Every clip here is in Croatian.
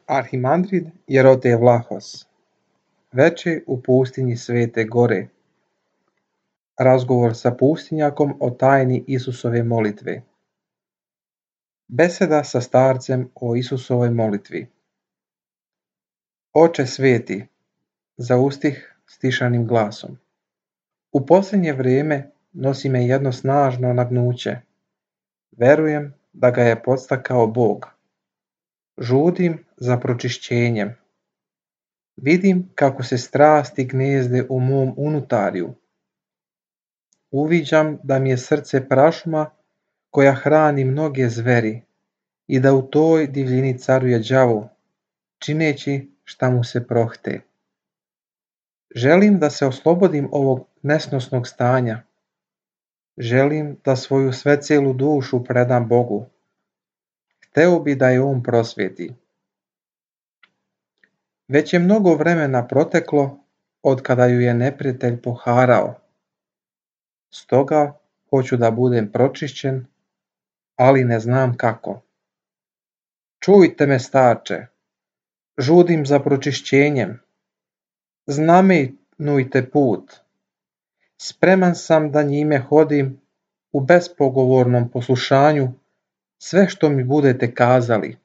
Arhimandrid Jerotej Vlahos. Veče u pustinji Svete Gore. Razgovor sa pustinjakom o tajni Isusove molitve. Beseda sa starcem o Isusovoj molitvi. Oče sveti, zaustih stišanim glasom. U posljednje vrijeme nosi me jedno snažno nagnuće. Verujem da ga je podstakao Bog. Žudim za pročišćenjem. Vidim kako se strasti gnezde u mom unutarju. Uviđam da mi je srce prašuma koja hrani mnoge zveri i da u toj divljini caruje đavo, čineći šta mu se prohte. Želim da se oslobodim ovog nesnosnog stanja. Želim da svoju svecelu dušu predam Bogu. Hteo bi da je On prosvjeti. Već je mnogo vremena proteklo od kada ju je neprijatelj poharao. Stoga hoću da budem pročišćen, ali ne znam kako. Čujte me, starče, žudim za pročišćenjem. Znamenujte put. Spreman sam da njime hodim u bespogovornom poslušanju sve što mi budete kazali.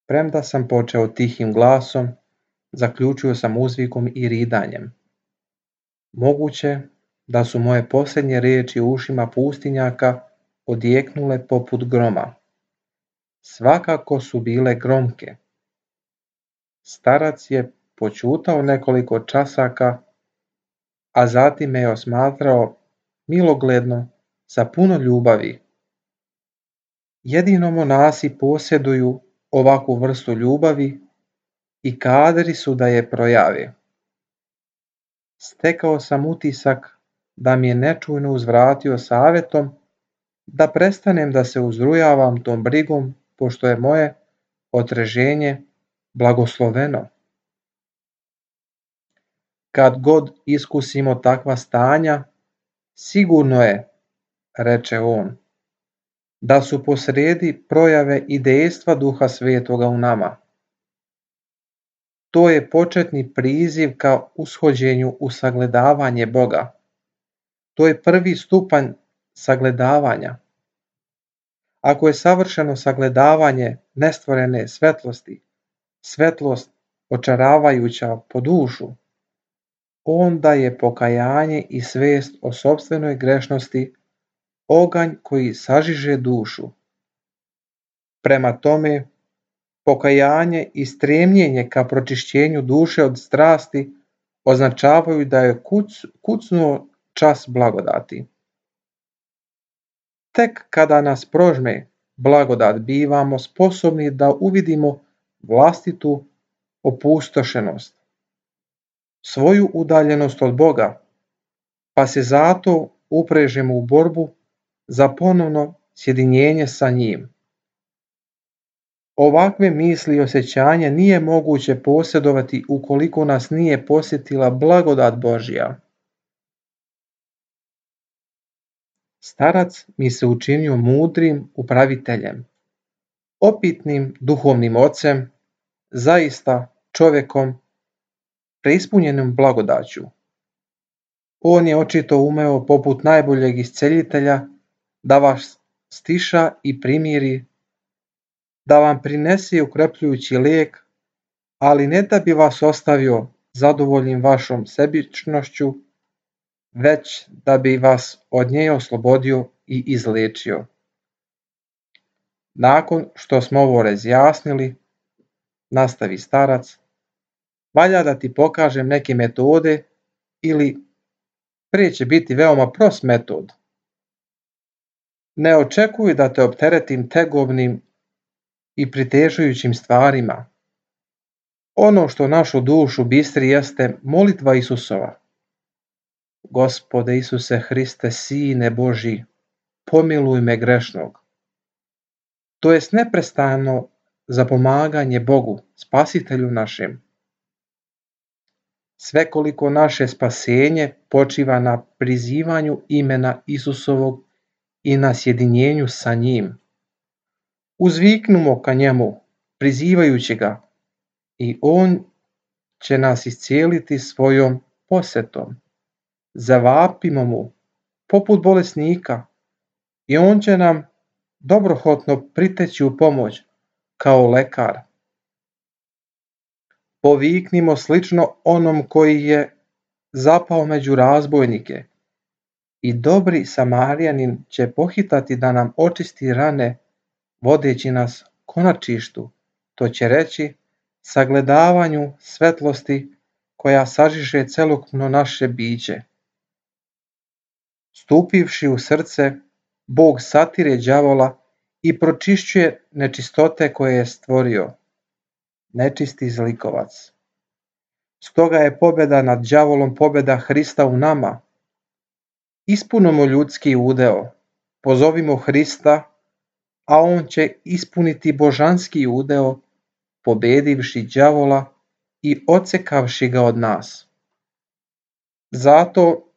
Premda sam počeo tihim glasom, zaključio sam uzvikom i ridanjem. Moguće da su moje posljednje riječi u ušima pustinjaka odjeknule poput groma. Svakako su bile gromke. Starac je počutao nekoliko časaka, a zatim me je osmatrao milogledno sa puno ljubavi. Jedino monasi posjeduju ovakvu vrstu ljubavi i kadri su da je projave. Stekao sam utisak da mi je nečujno uzvratio savjetom da prestanem da se uzrujavam tom brigom, pošto je moje otreženje blagosloveno. Kad god iskusimo takva stanja, sigurno je, reče on, da su posrijedi projave i dejstva Duha Svetoga u nama. To je početni priziv ka ushođenju u sagledavanje Boga. To je prvi stupanj sagledavanja. Ako je savršeno sagledavanje nestvorene svetlosti, svetlost očaravajuća po dušu, onda je pokajanje i svest o sopstvenoj grešnosti oganj koji sažiže dušu. Prema tome, pokajanje i stremljenje ka pročišćenju duše od strasti označavaju da je kucnuo čas blagodati. Tek kada nas prožme blagodat bivamo sposobni da uvidimo vlastitu opustošenost, svoju udaljenost od Boga, pa se zato uprežemo u borbu za ponovno sjedinjenje sa njim. Ovakve misli i osjećanja nije moguće posjedovati ukoliko nas nije posjetila blagodat Božja. Starac mi se učinio mudrim upraviteljem, opitnim duhovnim ocem, zaista čovjekom preispunjenim blagodaću. On je očito umeo poput najboljeg isceljitelja da vas stiša i primiri, da vam prinese ukrepljujući lijek, ali ne da bi vas ostavio zadovoljnim vašom sebičnošću, već da bi vas od nje oslobodio i izliječio. Nakon što smo ovo razjasnili, nastavi starac, valja da ti pokažem neke metode ili prije će biti veoma prost metod. Ne očekuj da te opteretim tegobnim i pritežujućim stvarima. Ono što našu dušu bistri jeste molitva Isusova. Gospode Isuse Hriste, Sine Božji, pomiluj me grešnog. To jest neprestano zapomaganje Bogu, Spasitelju našem. Svekoliko naše spasenje počiva na prizivanju imena Isusovog i na sjedinjenju sa njim. Uzviknimo ka njemu, prizivajući ga, i on će nas iscijeliti svojom posjetom. Zavapimo mu poput bolesnika i on će nam dobrohotno priteći u pomoć kao lekar. Poviknimo slično onom koji je zapao među razbojnike, i dobri Samarijanin će pohitati da nam očisti rane, vodeći nas konačištu, to će reći sagledavanju svetlosti koja sažiže celokupno naše biće. Stupivši u srce, Bog satire đavola i pročišćuje nečistote koje je stvorio. Nečisti zlikovac. Stoga je pobjeda nad đavolom pobjeda Hrista u nama. Ispunimo ljudski udeo, pozovimo Hrista, a on će ispuniti božanski udeo, pobedivši đavola i odsekavši ga od nas. Zato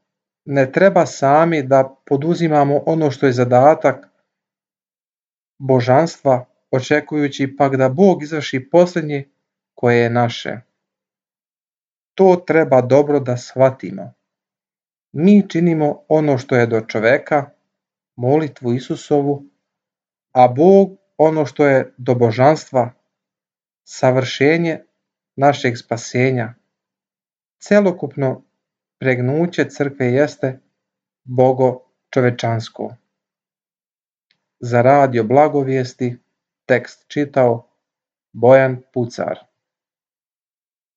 ne treba sami da poduzimamo ono što je zadatak božanstva, očekujući pak da Bog izvrši posljednje koje je naše. To treba dobro da shvatimo. Mi činimo ono što je do čoveka, molitvu Isusovu, a Bog ono što je do božanstva, savršenje našeg spasenja. Celokupno pregnuće crkve jeste Bogo čovečansko. Za radio Blagovijesti tekst čitao Bojan Pucar.